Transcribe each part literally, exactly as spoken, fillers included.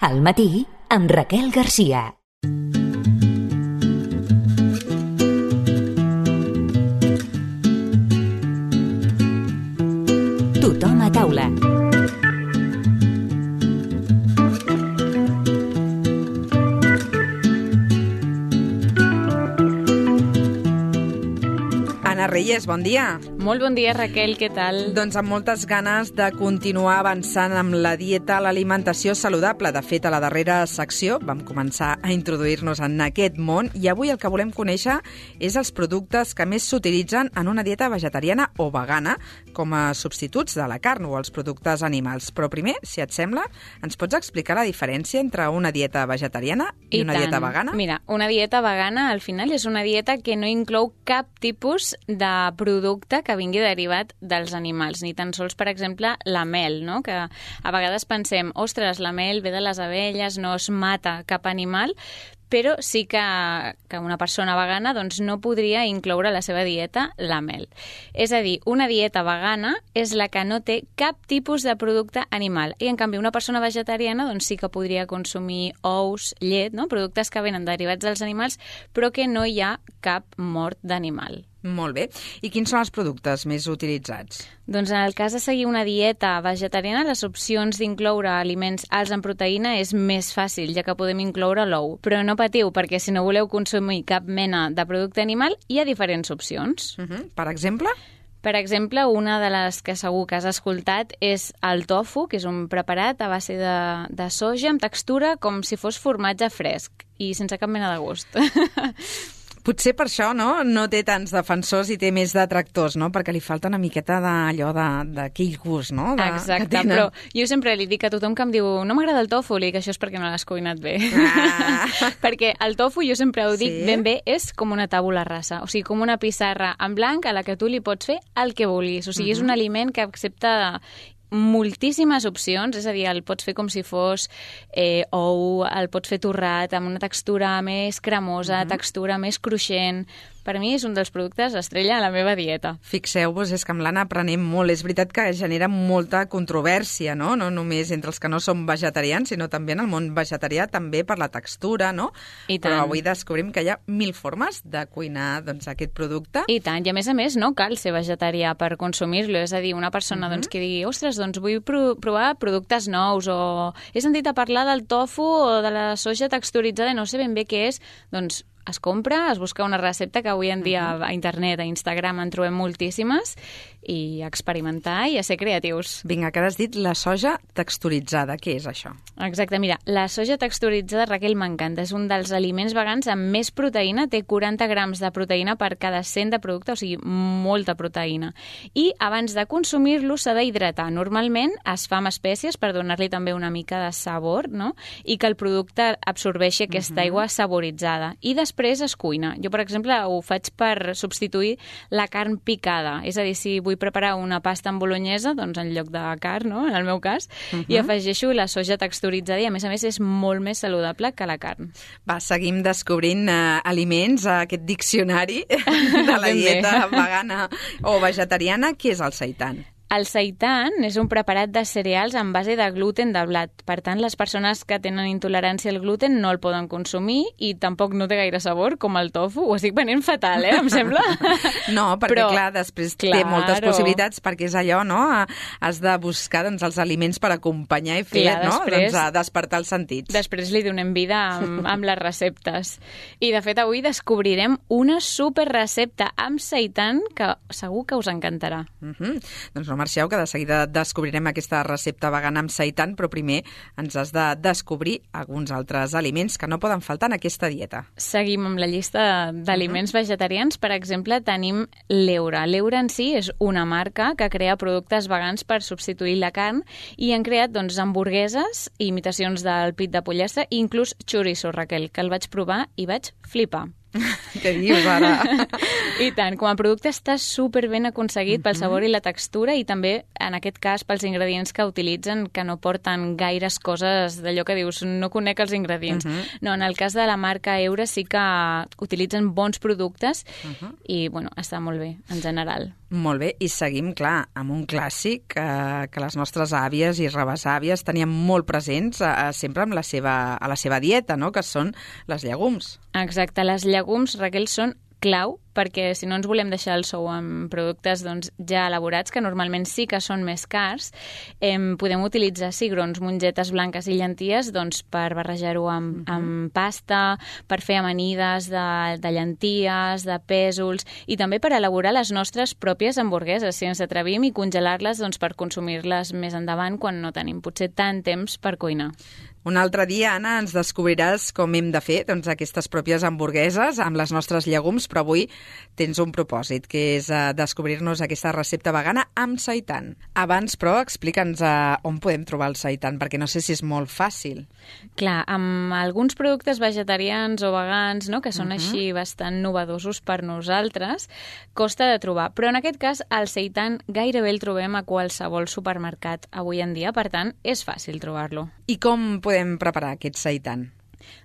Al matí, amb Raquel Garcia. Tothom a taula. Anna Reyes, bon dia. Molt bon dia, Raquel, què tal? Doncs amb moltes ganes de continuar avançant amb la dieta, l'alimentació saludable. De fet, a la darrera secció vam començar a introduir-nos en aquest món i avui el que volem conèixer és els productes que més s'utilitzen en una dieta vegetariana o vegana com a substituts de la carn o els productes animals. Però primer, si et sembla, ens pots explicar la diferència entre una dieta vegetariana i, I una tant. dieta vegana? Mira, una dieta vegana al final és una dieta que no inclou cap tipus de producte que vingui derivat dels animals, ni tan sols, per exemple, la mel, no? Que a vegades pensem, ostres, la mel ve de les abelles, no es mata cap animal, però sí que, que una persona vegana doncs, no podria incloure a la seva dieta la mel. És a dir, una dieta vegana és la que no té cap tipus de producte animal i, en canvi, una persona vegetariana doncs, sí que podria consumir ous, llet, no? Productes que venen derivats dels animals, però que no hi ha cap mort d'animal. Molt bé. I quins són els productes més utilitzats? Doncs en el cas de seguir una dieta vegetariana, les opcions d'incloure aliments alts en proteïna és més fàcil, ja que podem incloure l'ou. Però no patiu, perquè si no voleu consumir cap mena de producte animal, hi ha diferents opcions. Uh-huh. Per exemple? Per exemple, una de les que segur que has escoltat és el tofu, que és un preparat a base de, de soja amb textura com si fos formatge fresc i sense cap mena de gust. Potser per això no no té tants defensors i té més detractors, no? Perquè li falta una miqueta d'allò d'aquell gust, no? De, Exacte, però jo sempre li dic a tothom que em diu no m'agrada el tofu, li dic això és perquè no l'has cuinat bé. Ah. Perquè el tofu, jo sempre ho dic sí? ben bé, és com una tàbula rasa, o sigui, com una pissarra en blanc a la que tu li pots fer el que vulguis. O sigui, uh-huh. és un aliment que accepta moltíssimes opcions, és a dir, el pots fer com si fos eh, ou, el pots fer torrat amb una textura més cremosa, uh-huh. textura més cruixent. Per mi és un dels productes estrella a la meva dieta. Fixeu-vos, és que amb l'Anna aprenem molt. És veritat que genera molta controvèrsia, no? No només entre els que no som vegetarians, sinó també en el món vegetarià, també per la textura, no? I tant. Però avui descobrim que hi ha mil formes de cuinar doncs, aquest producte. I tant, i a més a més no cal ser vegetarià per consumir-lo. És a dir, una persona uh-huh. doncs, que digui, ostres, doncs vull pro- provar productes nous, o he sentit a parlar del tofu o de la soja texturitzada i no sé ben bé què és, doncs es compra, es busca una recepta que avui en dia uh-huh. a internet, a Instagram en trobem moltíssimes, i a experimentar i a ser creatius. Vinga, que has dit la soja texturitzada. Què és això? Exacte, mira, la soja texturitzada, Raquel, m'encanta. És un dels aliments vegans amb més proteïna, té quaranta grams de proteïna per cada cent de producte, o sigui, molta proteïna. I abans de consumir-lo s'ha d'hidratar. Normalment es fa amb espècies per donar-li també una mica de sabor, no? I que el producte absorbeixi aquesta uh-huh. aigua saboritzada. I després es cuina. Jo, per exemple, ho faig per substituir la carn picada. És a dir, si vull preparar una pasta amb bolognesa, doncs en lloc de carn, no? En el meu cas, uh-huh. i afegeixo la soja texturitzada i, a més a més, és molt més saludable que la carn. Va, seguim descobrint uh, aliments a aquest diccionari de la dieta vegana o vegetariana. Què és el seitan? El seitan és un preparat de cereals en base de gluten de blat. Per tant, les persones que tenen intolerància al gluten no el poden consumir i tampoc no té gaire sabor, com el tofu. Ho estic venent fatal, eh? Em sembla? No, perquè, Però, clar, després claro. té moltes possibilitats, perquè és allò, no? Has de buscar doncs, els aliments per acompanyar i fer, clar, no? Després, doncs, a despertar els sentits. Després li donem vida amb, amb les receptes. I, de fet, avui descobrirem una super recepta amb seitan que segur que us encantarà. Uh-huh. Doncs no marxeu, que de seguida descobrirem aquesta recepta vegana amb seitan, però primer ens has de descobrir alguns altres aliments que no poden faltar en aquesta dieta. Seguim amb la llista d'aliments uh-huh. vegetarians. Per exemple, tenim l'Eura. L'Eura en si és una marca que crea productes vegans per substituir la carn i han creat doncs, hamburgueses, imitacions del pit de pollastre i inclús chorizo, Raquel, que el vaig provar i vaig flipar. Què dius ara? I tant, com a producte està super ben aconseguit pel sabor i la textura i també, en aquest cas, pels ingredients que utilitzen, que no porten gaires coses d'allò que dius, no conec els ingredients. Uh-huh. No, en el cas de la marca Eura sí que utilitzen bons productes uh-huh. i, bueno, està molt bé, en general. Molt bé, i seguim, clar, amb un clàssic eh, que les nostres àvies i rebesàvies tenien molt presents eh, sempre amb la seva, a la seva dieta, no?, que són les llegums. Exacte, les llegums, Raquel, són clau, perquè si no ens volem deixar el sou amb productes doncs, ja elaborats, que normalment sí que són més cars, eh, podem utilitzar cigrons, mongetes blanques i llenties doncs, per barrejar-ho amb, uh-huh. amb pasta, per fer amanides de, de llenties, de pèsols, i també per elaborar les nostres pròpies hamburgueses, si ens atrevim, i congelar-les doncs, per consumir-les més endavant quan no tenim potser tant temps per cuinar. Un altre dia, Anna, ens descobriràs com hem de fer doncs, aquestes pròpies hamburgueses amb les nostres llegums, però avui tens un propòsit, que és uh, descobrir-nos aquesta recepta vegana amb seitan. Abans, però, explica'ns uh, on podem trobar el seitan, perquè no sé si és molt fàcil. Clar, amb alguns productes vegetarians o vegans, no?, que són uh-huh. així bastant novedosos per nosaltres, costa de trobar. Però en aquest cas, el seitan gairebé el trobem a qualsevol supermercat avui en dia, per tant, és fàcil trobar-lo. I com podem preparar aquest seitan?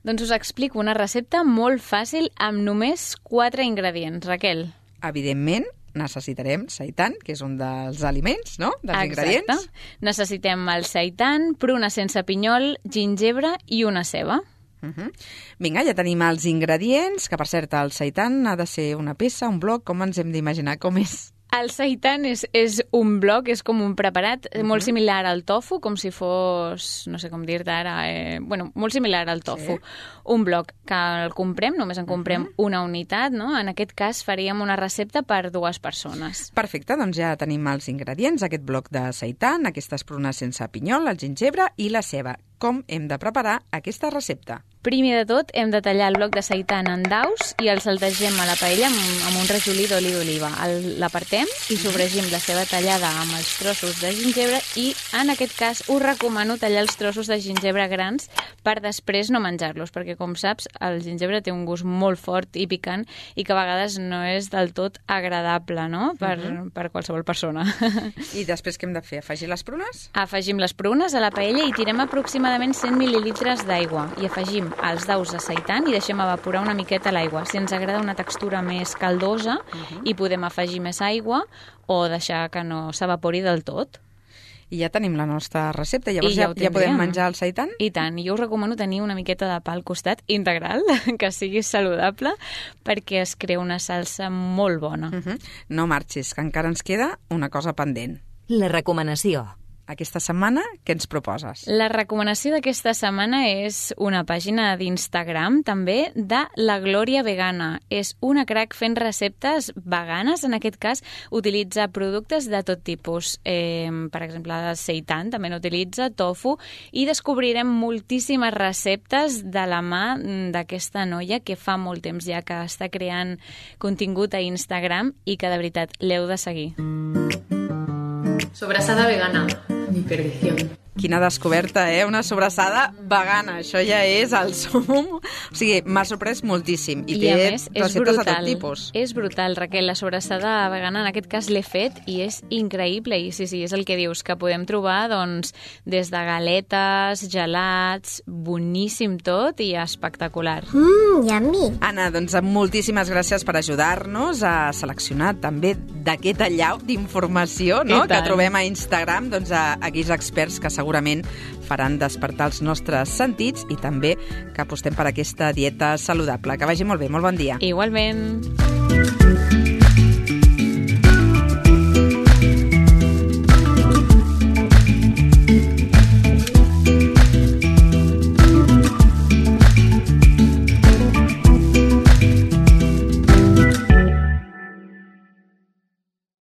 Doncs us explico una recepta molt fàcil amb només quatre ingredients, Raquel. Evidentment, necessitarem seitan, que és un dels aliments, no?, dels Exacte. Ingredients. Necessitem el seitan, pruna sense pinyol, gingebre i una ceba. Uh-huh. Vinga, ja tenim els ingredients, que per cert el seitan ha de ser una peça, un bloc, com ens hem d'imaginar, com és? El seitan és, és un bloc, és com un preparat uh-huh. molt similar al tofu, com si fos, no sé com dir-te ara, eh, bueno, molt similar al tofu. Sí. Un bloc que el comprem, només en comprem uh-huh. una unitat, no? En aquest cas faríem una recepta per dues persones. Perfecte, doncs ja tenim els ingredients, aquest bloc de seitan, aquestes prunes sense pinyol, el gingebre i la ceba. Com hem de preparar aquesta recepta? Primer de tot, hem de tallar el bloc de seitan en daus i el saltegem a la paella amb, amb un rajolí d'oli d'oliva. L'apartem i sofregim la ceba tallada amb els trossos de gingebre i, en aquest cas, us recomano tallar els trossos de gingebre grans per després no menjar-los, perquè, com saps, el gingebre té un gust molt fort i picant i que a vegades no és del tot agradable, no?, per, uh-huh. per qualsevol persona. I després què hem de fer? Afegir les prunes? Afegim les prunes a la paella i tirem aproximadament cent mil·lilitres d'aigua i afegim els daus de seitan i deixem evaporar una miqueta l'aigua. Si ens agrada una textura més caldosa, uh-huh. hi podem afegir més aigua o deixar que no s'evapori del tot. I ja tenim la nostra recepta. Llavors ja, ja, ja podem menjar el seitan? I tant. Jo us recomano tenir una miqueta de pa al costat integral, que sigui saludable, perquè es crea una salsa molt bona. Uh-huh. No marxis, que encara ens queda una cosa pendent. La recomanació. Aquesta setmana, què ens proposes? La recomanació d'aquesta setmana és una pàgina d'Instagram, també, de La Glòria Vegana. És una crac fent receptes veganes. En aquest cas, utilitza productes de tot tipus. Eh, per exemple, seitan també n'utilitza, tofu, i descobrirem moltíssimes receptes de la mà d'aquesta noia que fa molt temps ja que està creant contingut a Instagram i que, de veritat, l'heu de seguir. Sobrasada vegana, mi perdición. Quina descoberta, eh? Una sobrassada vegana. Això ja és el sum. O sigui, m'ha sorprès moltíssim. I, I té a més, és receptes brutal. de tot tipus. És brutal, Raquel. La sobrassada vegana, en aquest cas, l'he fet i és increïble. I sí, sí, és el que dius, que podem trobar doncs, des de galetes, gelats, boníssim tot i espectacular. Mmm, yummy. Anna, doncs moltíssimes gràcies per ajudar-nos a seleccionar també d'aquest allau d'informació, no?, que trobem a Instagram, doncs a aquells experts que segurament segurament faran despertar els nostres sentits i també que apostem per aquesta dieta saludable. Que vagi molt bé, molt bon dia. Igualment.